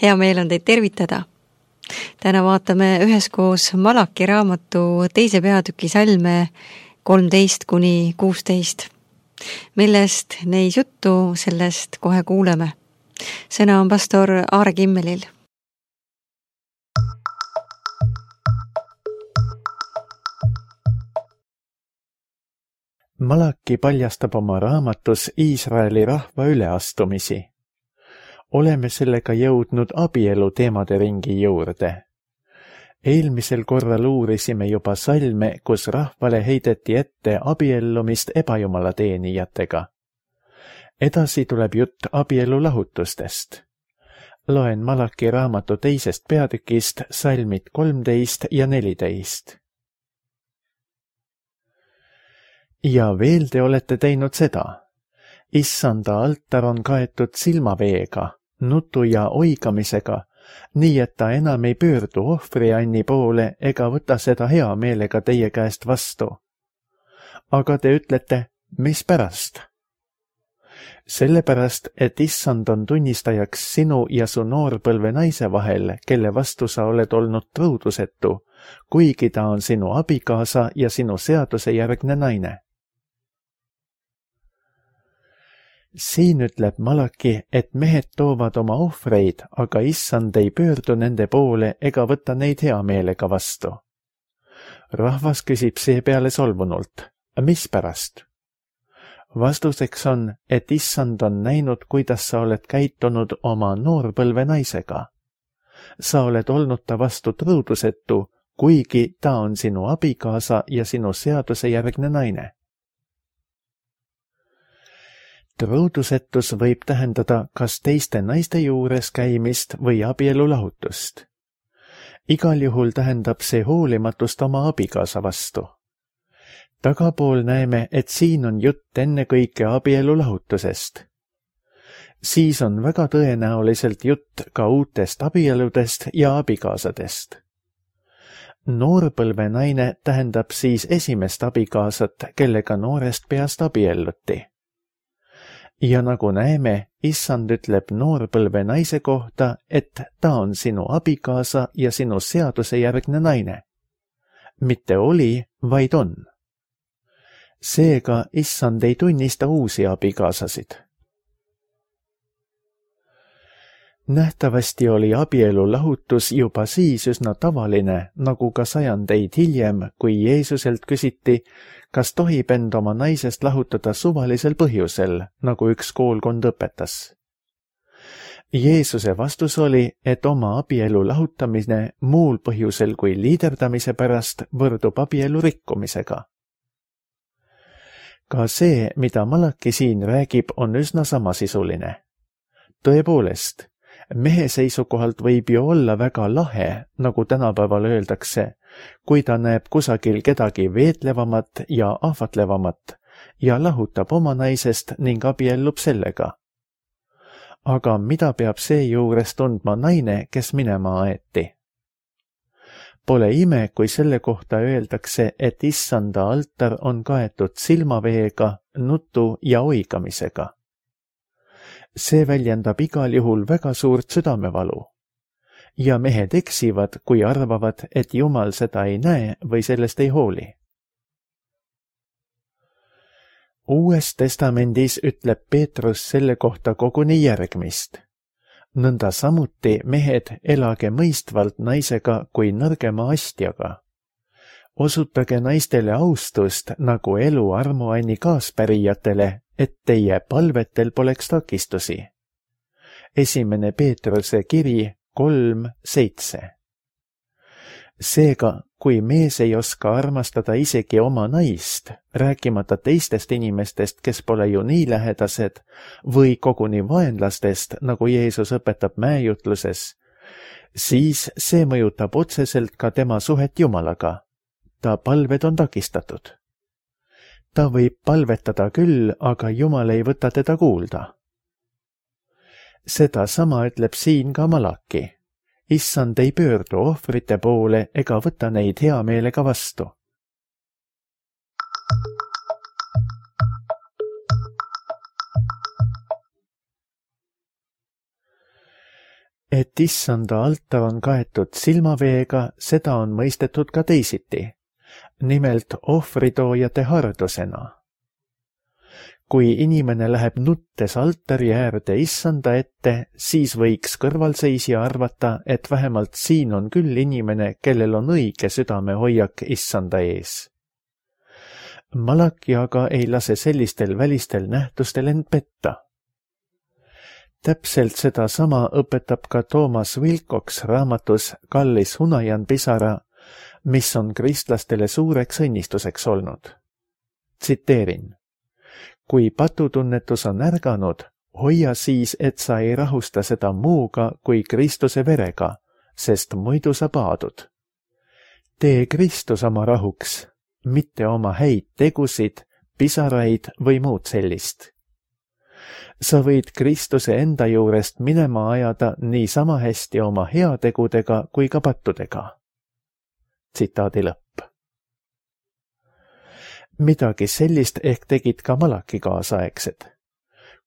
Hea meel on teid tervitada. Täna vaatame üheskoos Malaki raamatu 2. peatüki salme 13-16. Millest neis juttu, sellest kohe kuuleme. Sõna on pastor Aare Kimmelil. Malaki paljastab oma raamatus Iisraeli rahva üleastumisi. Oleme sellega jõudnud abielu teemade ringi juurde. Eelmisel korral uurisime juba salme, kus rahvale heideti ette abiellumist ebajumala teenijatega. Edasi tuleb jutt abielu lahutustest. Loen Malaki raamatu 2. peatükist salmid 13 ja 14. Ja veel te olete teinud seda. Issanda altar on kaetud silmaveega, nutu ja oigamisega, nii et ta enam ei pöördu ohvrianni poole ega võta seda hea meelega teie käest vastu. Aga te ütlete, mis pärast? Sellepärast, et Issand on tunnistajaks sinu ja su noorpõlve naise vahel, kelle vastu sa oled olnud truudusetu, kuigi ta on sinu abikaasa ja sinu seadusejärgne naine. Siin ütleb Malaki, et mehed toovad oma ohvreid, aga Issand ei pöördu nende poole ega võta neid hea meelega vastu. Rahvas küsib seepeale solvunult, mis pärast? Vastuseks on, et Issand on näinud, kuidas sa oled käitunud oma noorpõlve naisega. Sa oled olnud ta vastu truudusetu, kuigi ta on sinu abikaasa ja sinu seadusejärgne naine. Truudusetus võib tähendada kas teiste naiste juures käimist või abielu lahutust. Igal juhul tähendab see hoolimatust oma abikaasa vastu. Tagapool näeme, et siin on jutt ennekõike abielu lahutusest. Siis on väga tõenäoliselt jutt ka uutest abieludest ja abikaasadest. Noorpõlve naine tähendab siis esimest abikaasat, kellega noorest peast abielluti. Ja nagu näeme, Issand ütleb noorpõlve naise kohta, et ta on sinu abikaasa ja sinu seadusejärgne naine. Mitte oli, vaid on. Seega Issand ei tunnista uusi abikaasasid. Nähtavasti oli abielu lahutus juba siis üsna tavaline, nagu ka sajandeid hiljem, kui Jeesuselt küsiti, kas tohib end oma naisest lahutada suvalisel põhjusel, nagu üks koolkond õpetas. Jeesuse vastus oli, et oma abielu lahutamine muul põhjusel kui liiderdamise pärast võrdub abielu rikkumisega. Ka see, mida Malaki siin räägib, on üsna samasisuline. Tõepoolest, mehe seisukohalt võib ju olla väga lahe, nagu tänapäeval öeldakse, kui ta näeb kusagil kedagi veetlevamat ja ahvatlevamat ja lahutab oma naisest ning abiellub sellega. Aga mida peab seejuures tundma naine, kes minema aeti? Pole ime, kui selle kohta öeldakse, et Issanda altar on kaetud silmaveega, nutu ja oigamisega. See väljendab igal juhul väga suurt südamevalu. Ja mehed eksivad, kui arvavad, et Jumal seda ei näe või sellest ei hooli. Uues testamendis ütleb Peetrus selle kohta koguni järgmist. Nõnda samuti mehed elage mõistvalt naisega kui nõrgema astjaga. Osutage naistele austust nagu elu armuanni kaaspärijatele, et teie palvetel poleks takistusi. 1. Peetruse kiri 3:7. Seega, kui mees ei oska armastada isegi oma naist, rääkimata teistest inimestest, kes pole ju nii lähedased, või koguni vaenlastest, nagu Jeesus õpetab mäejutluses, siis see mõjutab otseselt ka tema suhet Jumalaga. Ta palved on takistatud. Ta võib palvetada küll, aga Jumal ei võta teda kuulda. Seda sama ütleb siin ka Malaki. Issand ei pöördu ohvrite poole ega võta neid hea meelega vastu. Et issanda altar on kaetud silmaveega, seda on mõistetud ka teisiti, nimelt ohvritoojate hardusena. Kui inimene läheb nuttes altari äärde issanda ette, siis võiks kõrvalseisja arvata, et vähemalt siin on küll inimene, kellel on õige südamehoiak issanda ees. Malaki aga ei lase sellistel välistel nähtustel end petta. Täpselt sedasama õpetab ka Thomas Wilcox raamatus Kallis Hunajan pisara, mis on kristlastele suureks õnnistuseks olnud. Tsiteerin. Kui patutunnetus on ärganud, hoia siis, et sa ei rahusta seda muuga kui Kristuse verega, sest muidu sa paadud. Tee Kristus oma rahuks, mitte oma häid tegusid, pisaraid või muud sellist. Sa võid Kristuse enda juurest minema ajada nii sama hästi oma heategudega kui ka pattudega. Tsitaadi lõpp. Midagi sellist ehk tegid ka Malaki kaasaegsed.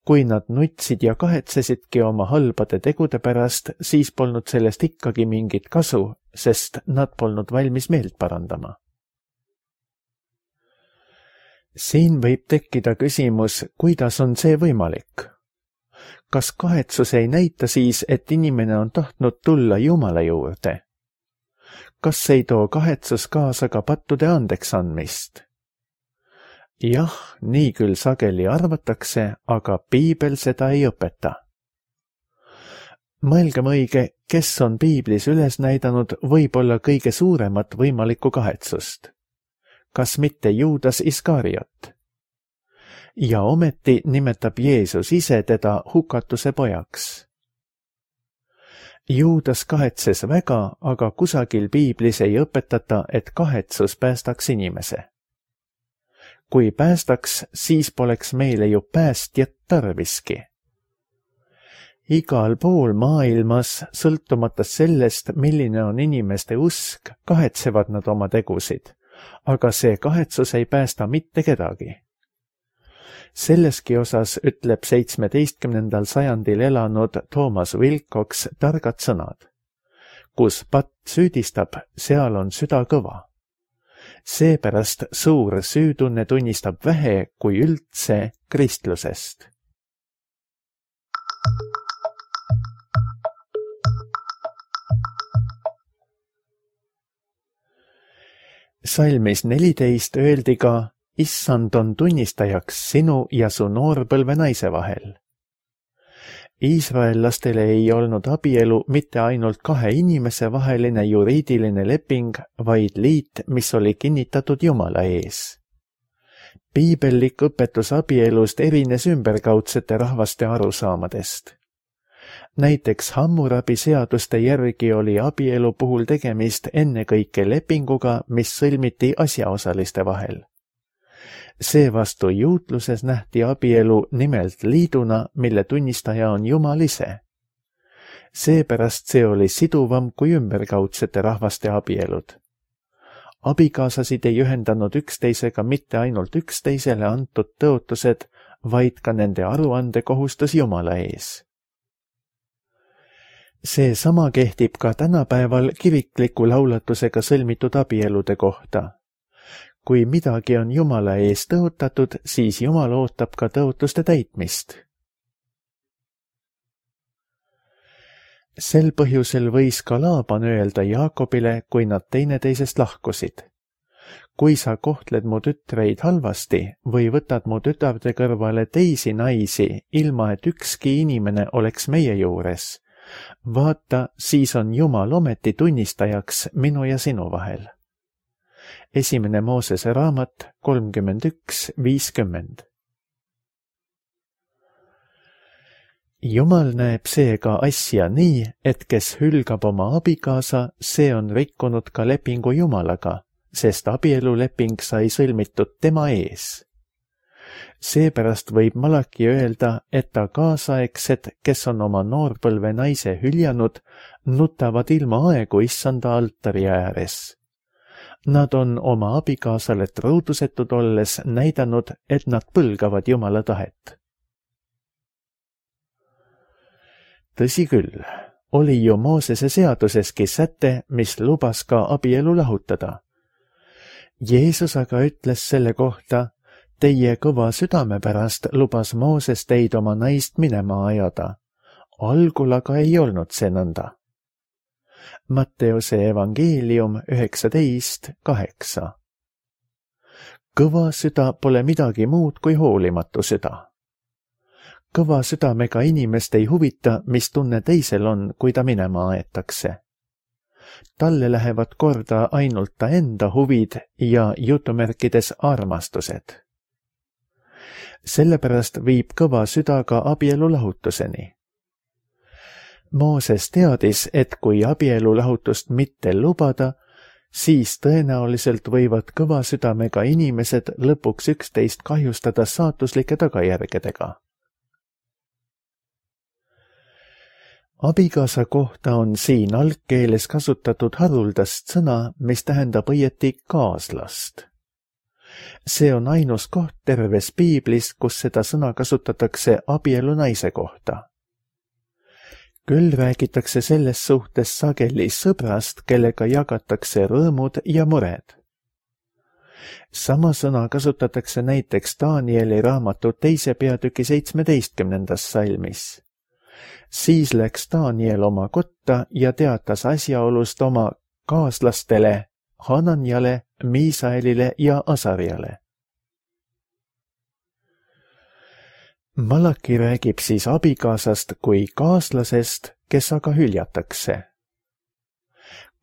Kui nad nutsid ja kahetsesidki oma halbade tegude pärast, siis polnud sellest ikkagi mingit kasu, sest nad polnud valmis meelt parandama. Siin võib tekkida küsimus, kuidas on see võimalik? Kas kahetsus ei näita siis, et inimene on tahtnud tulla Jumala juurde? Kas ei too kahetsus kaasa ka pattude andeks andmist? Jah, nii küll sageli arvatakse, aga piibel seda ei õpeta. Mõelgem õige, kes on piiblis üles näidanud võib-olla kõige suuremat võimalikku kahetsust. Kas mitte Juudas Iskariot? Ja ometi nimetab Jeesus ise teda hukatuse pojaks. Juudas kahetses väga, aga kusagil piiblis ei õpetata, et kahetsus päästaks inimese. Kui päästaks, siis poleks meile ju päästjat tarviski. Igal pool maailmas, sõltumata sellest, milline on inimeste usk, kahetsevad nad oma tegusid, aga see kahetsus ei päästa mitte kedagi. Selleski osas ütleb 17. sajandil elanud Thomas Wilcox targad sõnad. Kus patt süüdistab, seal on süda kõva. Seepärast suur süütunne tunnistab vähe kui üldse kristlusest. Salmis 14 öeldi ka, issand on tunnistajaks sinu ja su noorpõlve naise vahel. Iisraellastele ei olnud abielu mitte ainult kahe inimese vaheline juriidiline leping, vaid liit, mis oli kinnitatud Jumala ees. Piibellik õpetus abielust erines ümberkaudsete rahvaste arusaamadest. Näiteks Hammurabi seaduste järgi oli abielu puhul tegemist ennekõike lepinguga, mis sõlmiti asjaosaliste vahel. Seevastu juutluses nähti abielu nimelt liiduna, mille tunnistaja on Jumal ise. Seepärast see oli siduvam kui ümberkaudsete rahvaste abielud. Abikaasasid ei ühendanud üksteisega mitte ainult üksteisele antud tõotused, vaid ka nende aruandekohustus Jumala ees. See sama kehtib ka tänapäeval kirikliku laulatusega sõlmitud abielude kohta. Kui midagi on Jumala ees tõotatud, siis Jumal ootab ka tõotuste täitmist. Sel põhjusel võis ka Laaban öelda Jaakobile, kui nad teineteisest lahkusid. Kui sa kohtled mu tütreid halvasti või võtad mu tütarde kõrvale teisi naisi, ilma et ükski inimene oleks meie juures, vaata, siis on Jumal ometi tunnistajaks minu ja sinu vahel. Esimene Moosese raamat 31:50. Jumal näeb seega asja nii, et kes hülgab oma abikaasa, see on rikkunud ka lepingu Jumalaga, sest abieluleping sai sõlmitud tema ees. Seepärast võib Malaki öelda, et ta kaasaegsed, kes on oma noorpõlve naise hüljanud, nutavad ilma aegu issanda altari ääres. Nad on oma abikaasale truudusetud olles näidanud, et nad põlgavad Jumala tahet. Tõsi küll, oli ju Moosese seaduseski säte, mis lubas ka abielu lahutada. Jeesus aga ütles selle kohta, teie kõva südame pärast lubas Mooses teid oma naist minema ajada. Algul aga ei olnud see nõnda. Matteuse evangeelium 19:8. Kõva süda pole midagi muud kui hoolimatu süda. Kõva südamega inimest ei huvita, mis tunne teisel on, kui ta minema aetakse. Talle lähevad korda ainult ta enda huvid ja jutumärkides armastused. Sellepärast viib kõva süda ka abielu lahutuseni. Mooses teadis, et kui abielu lahutust mitte lubada, siis tõenäoliselt võivad kõva südamega inimesed lõpuks üksteist kahjustada saatuslike tagajärgedega. Abikaasa kohta on siin algkeeles kasutatud haruldast sõna, mis tähendab õieti kaaslast. See on ainus koht terves piiblis, kus seda sõna kasutatakse abielu naise kohta. Küll räägitakse selles suhtes sageli sõbrast, kellega jagatakse rõõmud ja mured. Sama sõna kasutatakse näiteks Danieli raamatu 2. peatüki 17. salmis. Siis läks Daniel oma kotta ja teatas asjaolust oma kaaslastele Hananjale, Miisaelile ja Asarjale. Malaki räägib siis abikaasast kui kaaslasest, kes aga hüljatakse.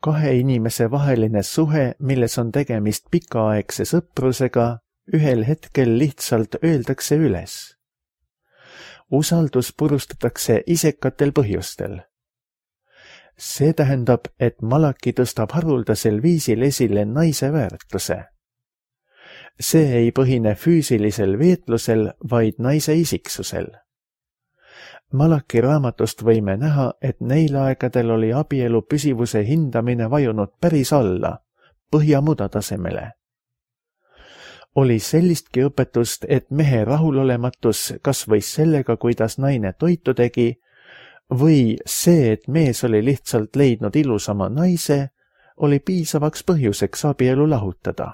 Kahe inimese vaheline suhe, milles on tegemist pikaaegse sõprusega, ühel hetkel lihtsalt öeldakse üles. Usaldus purustatakse isekatel põhjustel. See tähendab, et Malaki tõstab haruldasel viisil esile naise väärtuse. See ei põhine füüsilisel veetlusel, vaid naise isiksusel. Malaki raamatust võime näha, et neil aegadel oli abielu püsivuse hindamine vajunud päris alla, põhjamuda tasemele. Oli sellistki õpetust, et mehe rahulolematus kas võis sellega, kuidas naine toitu tegi, või see, et mees oli lihtsalt leidnud ilusama naise, oli piisavaks põhjuseks abielu lahutada.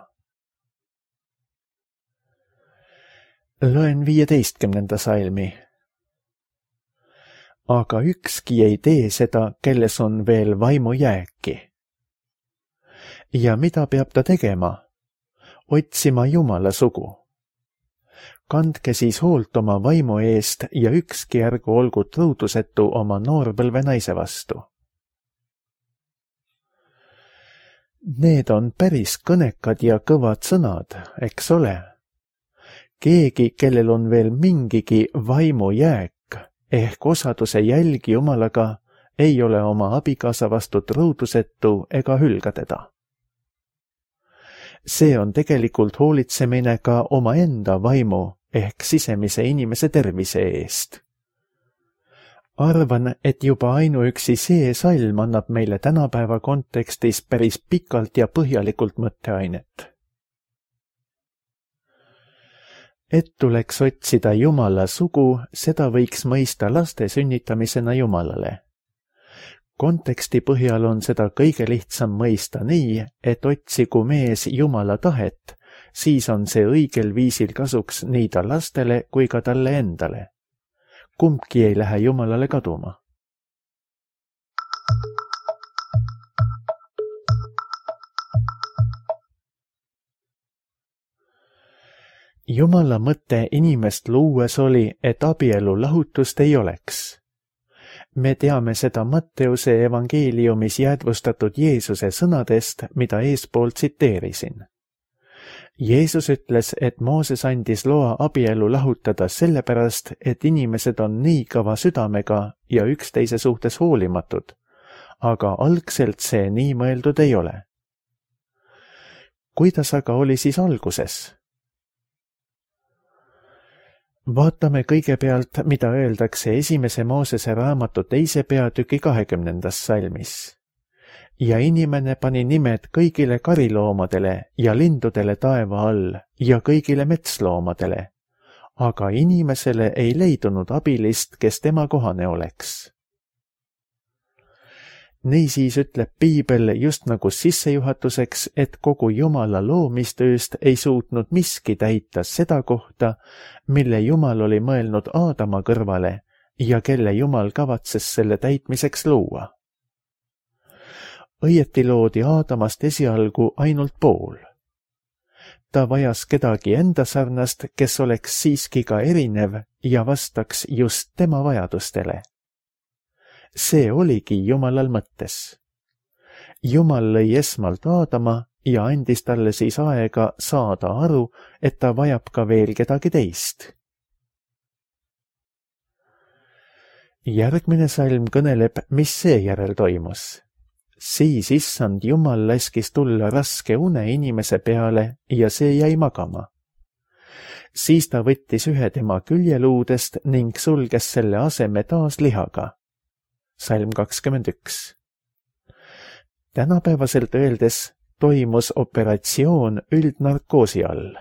Loen 15. salmi. Aga ükski ei tee seda, kelles on veel vaimu jääki. Ja mida peab ta tegema? Otsima Jumala sugu. Kandke siis hoolt oma vaimu eest ja ükski ärgu olgu truudusetu oma noorpõlve naise vastu. Need on päris kõnekad ja kõvad sõnad, eks ole? Keegi, kellel on veel mingigi vaimu jääk ehk osaduse jälgi Jumalaga, ei ole oma abikaasa vastu truudusetu ega hülga teda. See on tegelikult hoolitsemine ka omaenda vaimu ehk sisemise inimese tervise eest. Arvan, et juba ainuüksi see salm annab meile tänapäeva kontekstis päris pikalt ja põhjalikult mõtteainet. Et tuleks otsida Jumala sugu, seda võiks mõista laste sünnitamisena Jumalale. Konteksti põhjal on seda kõige lihtsam mõista nii, et otsigu mees Jumala tahet, siis on see õigel viisil kasuks nii ta lastele kui ka talle endale. Kumbki ei lähe Jumalale kaduma. Jumala mõte inimest luues oli, et abielu lahutust ei oleks. Me teame seda Matteuse evangeeliumis jäädvustatud Jeesuse sõnadest, mida eespool tsiteerisin. Jeesus ütles, et Mooses andis loa abielu lahutada sellepärast, et inimesed on nii kõva südamega ja üksteise suhtes hoolimatud, aga algselt see nii mõeldud ei ole. Kuidas aga oli siis alguses? Vaatame kõigepealt, mida öeldakse 1. Moosese raamatu 2. peatüki 20. salmis. Ja inimene pani nimed kõigile kariloomadele ja lindudele taeva all ja kõigile metsloomadele, aga inimesele ei leidunud abilist, kes tema kohane oleks. Niisiis ütleb piibel just nagu sissejuhatuseks, et kogu Jumala loomistööst ei suutnud miski täita seda kohta, mille Jumal oli mõelnud Aadama kõrvale ja kelle Jumal kavatses selle täitmiseks luua. Õieti loodi Aadamast esialgu ainult pool. Ta vajas kedagi enda sarnast, kes oleks siiski ka erinev ja vastaks just tema vajadustele. See oligi Jumalal mõttes. Jumal lõi esmalt Aadama ja andis talle siis aega saada aru, et ta vajab ka veel kedagi teist. Järgmine salm kõneleb, mis seejärel toimus. Siis issand Jumal laskis tulla raske une inimese peale ja see jäi magama. Siis ta võttis ühe tema küljeluudest ning sulges selle aseme taas lihaga. Salm 21. Tänapäevaselt öeldes toimus operatsioon üldnarkoosi all.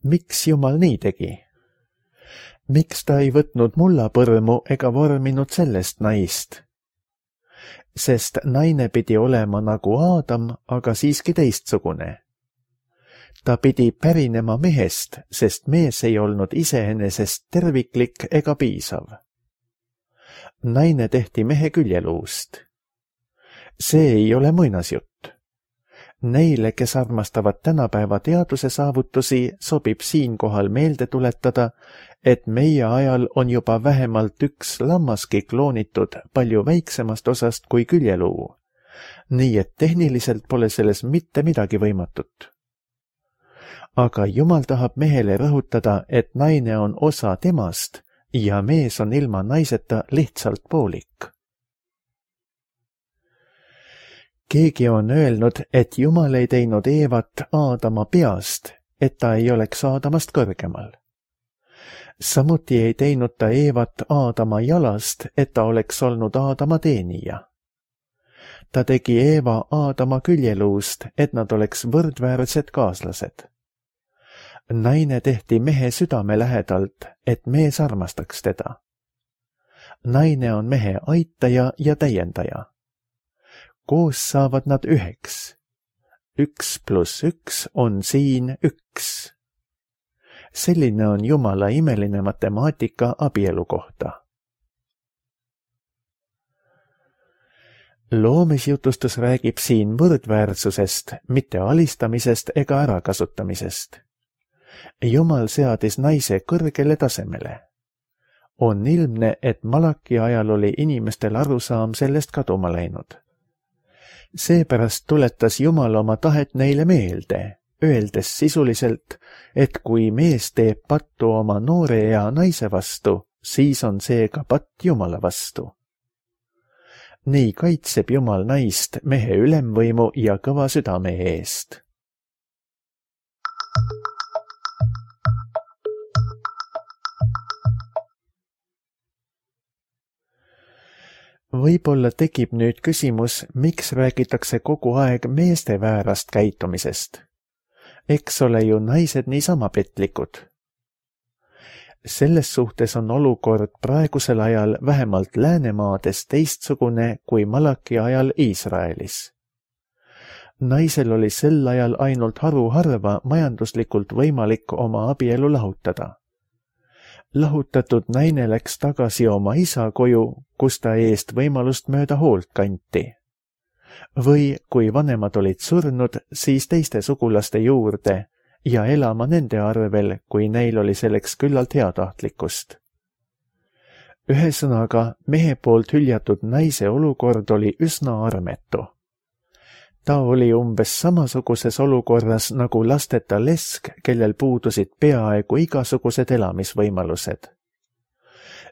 Miks Jumal nii tegi? Miks ta ei võtnud mullapõrmu ega vorminud sellest naist? Sest naine pidi olema nagu Aadam, aga siiski teistsugune. Ta pidi pärinema mehest, sest mees ei olnud iseenesest terviklik ega piisav. Naine tehti mehe küljeluust. See ei ole muinasjutt. Neile, kes armastavad tänapäeva teaduse saavutusi, sobib siinkohal meelde tuletada, et meie ajal on juba vähemalt üks lammaski kloonitud palju väiksemast osast kui küljeluu, nii et tehniliselt pole selles mitte midagi võimatut. Aga Jumal tahab mehele rõhutada, et naine on osa temast ja mees on ilma naiseta lihtsalt poolik. Keegi on öelnud, et Jumal ei teinud Eevat Aadama peast, et ta ei oleks Aadamast kõrgemal. Samuti ei teinud ta Eevat Aadama jalast, et ta oleks olnud Aadama teenija. Ta tegi Eeva Aadama küljeluust, et nad oleks võrdväärsed kaaslased. Naine tehti mehe südame lähedalt, et mees armastaks teda. Naine on mehe aitaja ja täiendaja. Koos saavad nad üheks. 1 + 1 on siin 1. Selline on Jumala imeline matemaatika abielu kohta. Loomisjutustus räägib siin võrdväärsusest, mitte alistamisest ega ärakasutamisest. Jumal seadis naise kõrgele tasemele. On ilmne, et Malaki ajal oli inimestel arusaam sellest kaduma läinud. Seepärast tuletas Jumal oma tahet neile meelde, öeldes sisuliselt, et kui mees teeb pattu oma noore ea naise vastu, siis on see ka patt Jumala vastu. Nii kaitseb Jumal naist mehe ülemvõimu ja kõva südame eest. Võib-olla tekib nüüd küsimus, miks räägitakse kogu aeg meeste väärast käitumisest. Eks ole ju naised niisama petlikud. Selles suhtes on olukord praegusel ajal vähemalt Läänemaades teistsugune kui Malaki ajal Iisraelis. Naisel oli sel ajal ainult haruharva majanduslikult võimalik oma abielu lahutada. Lahutatud naine läks tagasi oma isa koju, kus ta eest võimalust mööda hoolt kanti. Või kui vanemad olid surnud, siis teiste sugulaste juurde ja elama nende arvel, kui neil oli selleks küllalt heatahtlikkust. Ühesõnaga, mehe poolt hüljatud naise olukord oli üsna armetu. Ta oli umbes samasuguses olukorras nagu lasteta lesk, kellel puudusid peaaegu igasugused elamisvõimalused.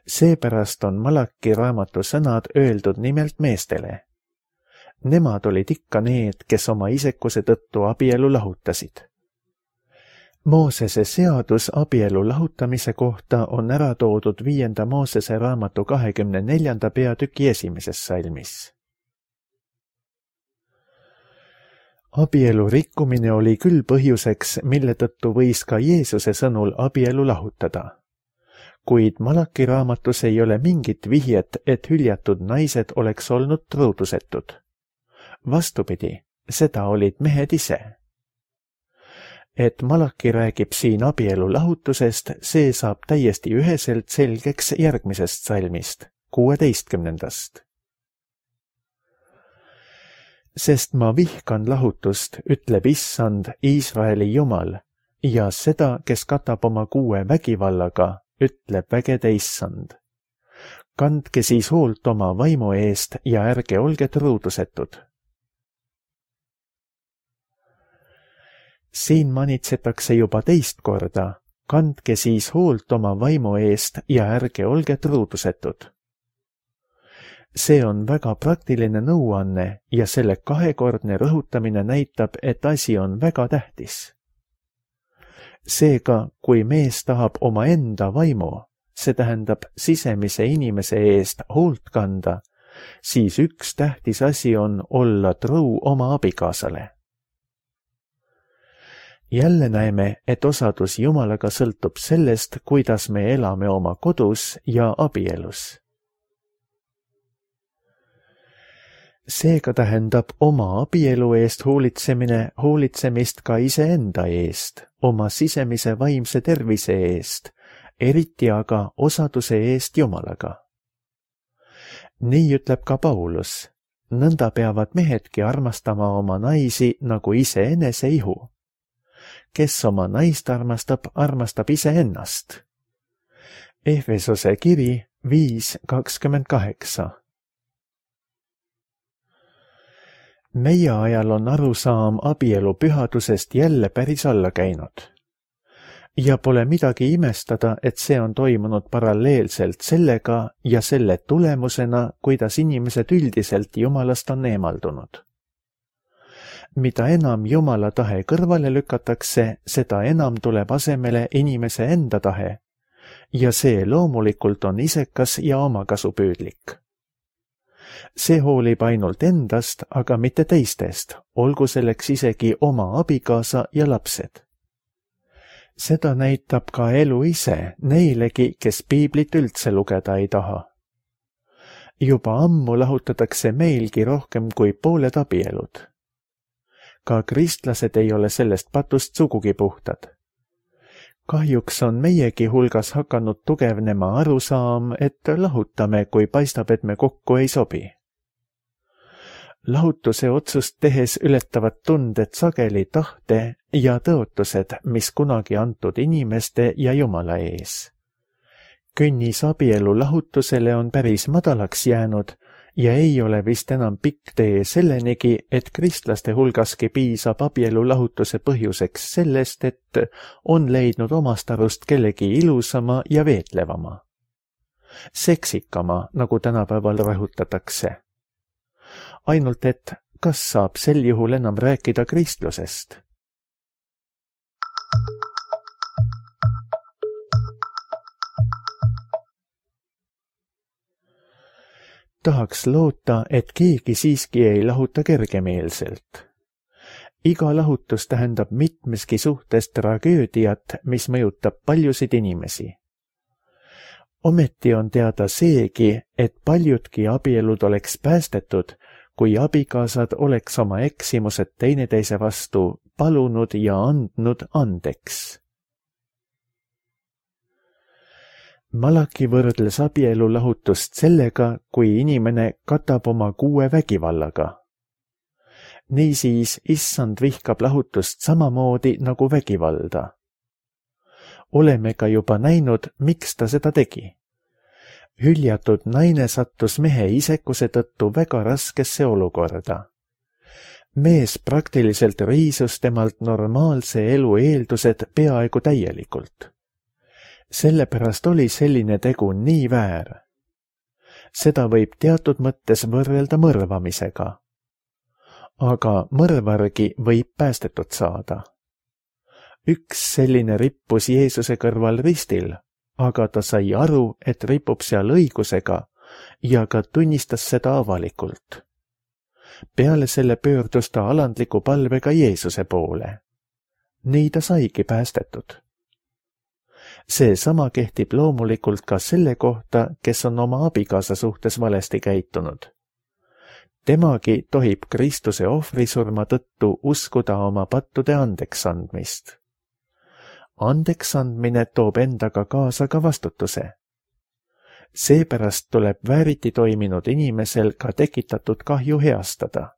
Seepärast on Malaki raamatu sõnad öeldud nimelt meestele. Nemad olid ikka need, kes oma isekuse tõttu abielu lahutasid. Moosese seadus abielu lahutamise kohta on ära toodud 5. Moosese raamatu 24. peatüki 1. salmis. Abielu rikkumine oli küll põhjuseks, mille tõttu võis ka Jeesuse sõnul abielu lahutada. kuid Malaki raamatus ei ole mingit vihjet, et hüljatud naised oleks olnud truudusetud. Vastupidi, seda olid mehed ise. Et Malaki räägib siin abielu lahutusest, see saab täiesti üheselt selgeks järgmisest salmist, 16. Sest ma vihkan lahutust, ütleb Issand, Iisraeli Jumal, ja seda, kes katab oma kuue vägivallaga, ütleb vägede Issand. Kandke siis hoolt oma vaimu eest ja ärge olge truudusetud. Siin manitsetakse juba teist korda, kandke siis hoolt oma vaimu eest ja ärge olge truudusetud. See on väga praktiline nõuanne ja selle kahekordne rõhutamine näitab, et asi on väga tähtis. Seega, kui mees tahab oma enda vaimu, see tähendab sisemise inimese eest hoolt kanda, siis üks tähtis asi on olla truu oma abikaasale. Jälle näeme, et osadus Jumalaga sõltub sellest, kuidas me elame oma kodus ja abielus. Seega tähendab oma abielu eest hoolitsemist ka iseenda eest, oma sisemise vaimse tervise eest, eriti aga osaduse eest Jumalaga. Nii ütleb ka Paulus, nõnda peavad mehedki armastama oma naisi nagu iseenese ihu. Kes oma naist armastab, armastab iseennast. Efesose kiri 5:28. Meie ajal on arusaam abielu pühadusest jälle päris alla käinud. Ja pole midagi imestada, et see on toimunud paralleelselt sellega ja selle tulemusena, kuidas inimesed üldiselt Jumalast on eemaldunud. Mida enam Jumala tahe kõrvale lükatakse, seda enam tuleb asemele inimese enda tahe. Ja see loomulikult on isekas ja omakasupüüdlik. See hoolib ainult endast, aga mitte teistest, olgu selleks isegi oma abikaasa ja lapsed. Seda näitab ka elu ise neilegi, kes piiblit üldse lugeda ei taha. Juba ammu lahutatakse meilgi rohkem kui pooled abielud. Ka kristlased ei ole sellest patust sugugi puhtad. Kahjuks on meiegi hulgas hakanud tugevnema arusaam, et lahutame, kui paistab, et me kokku ei sobi. Lahutuse otsust tehes ületavad tunded sageli tahte ja tõotused, mis kunagi antud inimeste ja Jumala ees. Künnis abielu lahutusele on päris madalaks jäänud ja ei ole vist enam pikk tee sellenigi, et kristlaste hulgaski piisab abielu lahutuse põhjuseks sellest, et on leidnud omast arust kellegi ilusama ja veetlevama. Seksikama, nagu tänapäeval rõhutatakse. Ainult et kas saab sel juhul enam rääkida kristlusest? Tahaks loota, et keegi siiski ei lahuta kergemeelselt. Iga lahutus tähendab mitmeski suhtes tragöödiat, mis mõjutab paljusid inimesi. Ometi on teada seegi, et paljudki abielud oleks päästetud, kui abikaasad oleks oma eksimused teineteise vastu palunud ja andnud andeks. Malaki võrdles abielu lahutust sellega, kui inimene katab oma kuue vägivallaga. Niisiis, Issand vihkab lahutust samamoodi nagu vägivalda. Oleme ka juba näinud, miks ta seda tegi. Hüljatud naine sattus mehe isekuse tõttu väga raskesse olukorda. Mees praktiliselt riisus temalt normaalse elu eeldused peaaegu täielikult. Sellepärast oli selline tegu nii väär. Seda võib teatud mõttes võrrelda mõrvamisega. Aga mõrvargi võib päästetud saada. Üks selline rippus Jeesuse kõrval ristil, aga ta sai aru, et ripub seal õigusega ja ka tunnistas seda avalikult. Peale selle pöördus ta alandliku palvega Jeesuse poole. Nii ta saigi päästetud. See sama kehtib loomulikult ka selle kohta, kes on oma abikaasa suhtes valesti käitunud. Temagi tohib Kristuse ohvrisurma tõttu uskuda oma pattude andeks andmist. Andeks andmine toob endaga kaasa ka vastutuse. Seepärast tuleb vääriti toiminud inimesel ka tekitatud kahju heastada.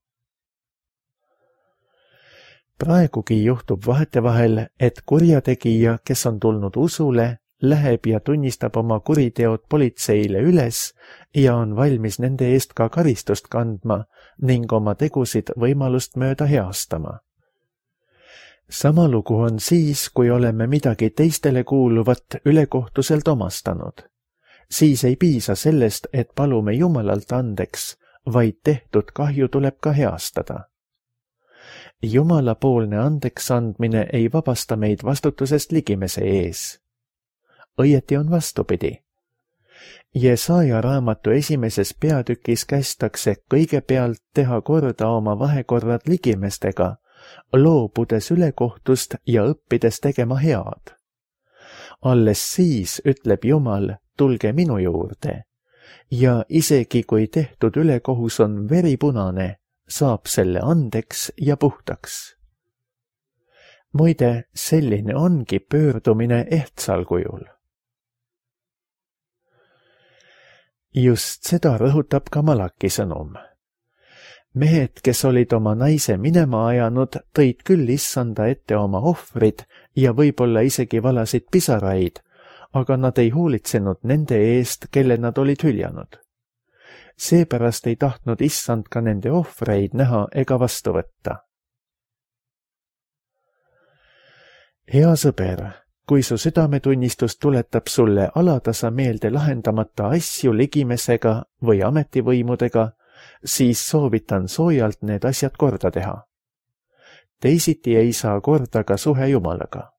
Praegugi juhtub vahetevahel, et kurjategija, kes on tulnud usule, läheb ja tunnistab oma kuriteod politseile üles ja on valmis nende eest ka karistust kandma ning oma tegusid võimalust mööda heastama. Sama lugu on siis, kui oleme midagi teistele kuuluvat ülekohtuselt omastanud. Siis ei piisa sellest, et palume Jumalalt andeks, vaid tehtud kahju tuleb ka heastada. Jumalapoolne andeks andmine ei vabasta meid vastutusest ligimese ees. Õieti on vastupidi. Jesaja raamatu 1. peatükis kästakse kõigepealt teha korda oma vahekorrad ligimestega, loobudes ülekohtust ja õppides tegema head. Alles siis ütleb Jumal, tulge minu juurde, ja isegi kui tehtud ülekohus on veripunane, saab selle andeks ja puhtaks. Muide, selline ongi pöördumine ehtsal kujul. Just seda rõhutab ka Malaki sõnum. Mehed, kes olid oma naise minema ajanud, tõid küll issanda ette oma ohvrid ja võib-olla isegi valasid pisaraid, aga nad ei hoolitsenud nende eest, kelle nad olid hüljanud. Seepärast ei tahtnud issand ka nende ohvreid näha ega vastu võtta. Hea sõber, kui su südametunnistus tuletab sulle alatasa meelde lahendamata asju ligimesega või ametivõimudega, siis soovitan soojalt need asjad korda teha. Teisiti ei saa korda ka suhe Jumalaga.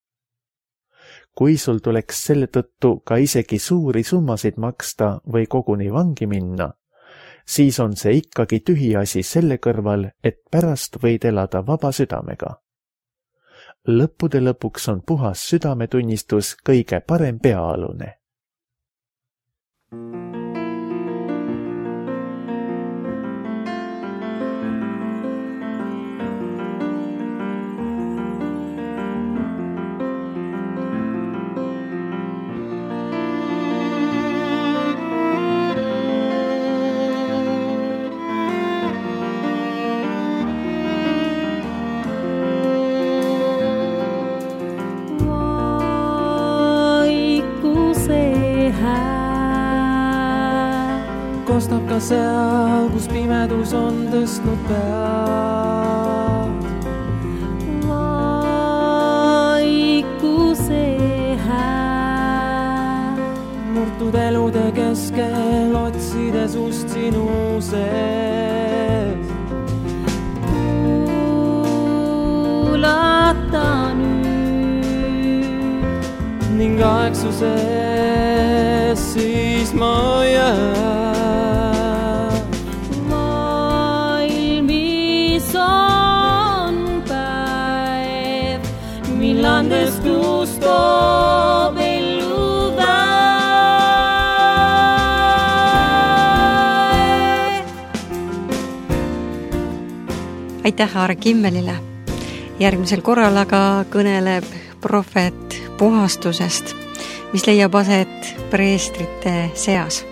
Kui sul tuleks selle tõttu ka isegi suuri summasid maksta või koguni vangi minna, siis on see ikkagi tühiasi selle kõrval, et pärast võid elada vaba südamega. Lõppude lõpuks on puhas südametunnistus kõige parem peaalune. Kostab ka seal, kus pimedus on tõstnud pead. Vaikuse hääl. Murtud elude keskel otsides ust sinu sees. Kuulata nüüd. Ning aegsuses siis ma jään. Millandes tuus toob ellu väe. Aitäh Aare Kimmelile. Järgmisel korral aga kõneleb prohvet puhastusest, mis leiab aset preestrite seas.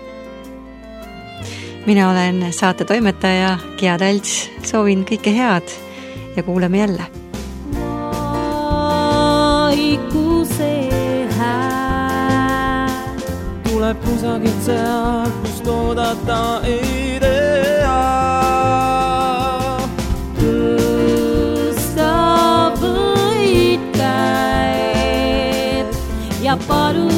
Mina olen saate toimetaja Gia Talts, soovin kõike head ja kuuleme jälle. Vaikuse hääl. Tuleb kusagilt seal, kust oodata ei tea. Tõsta võid käed ja palu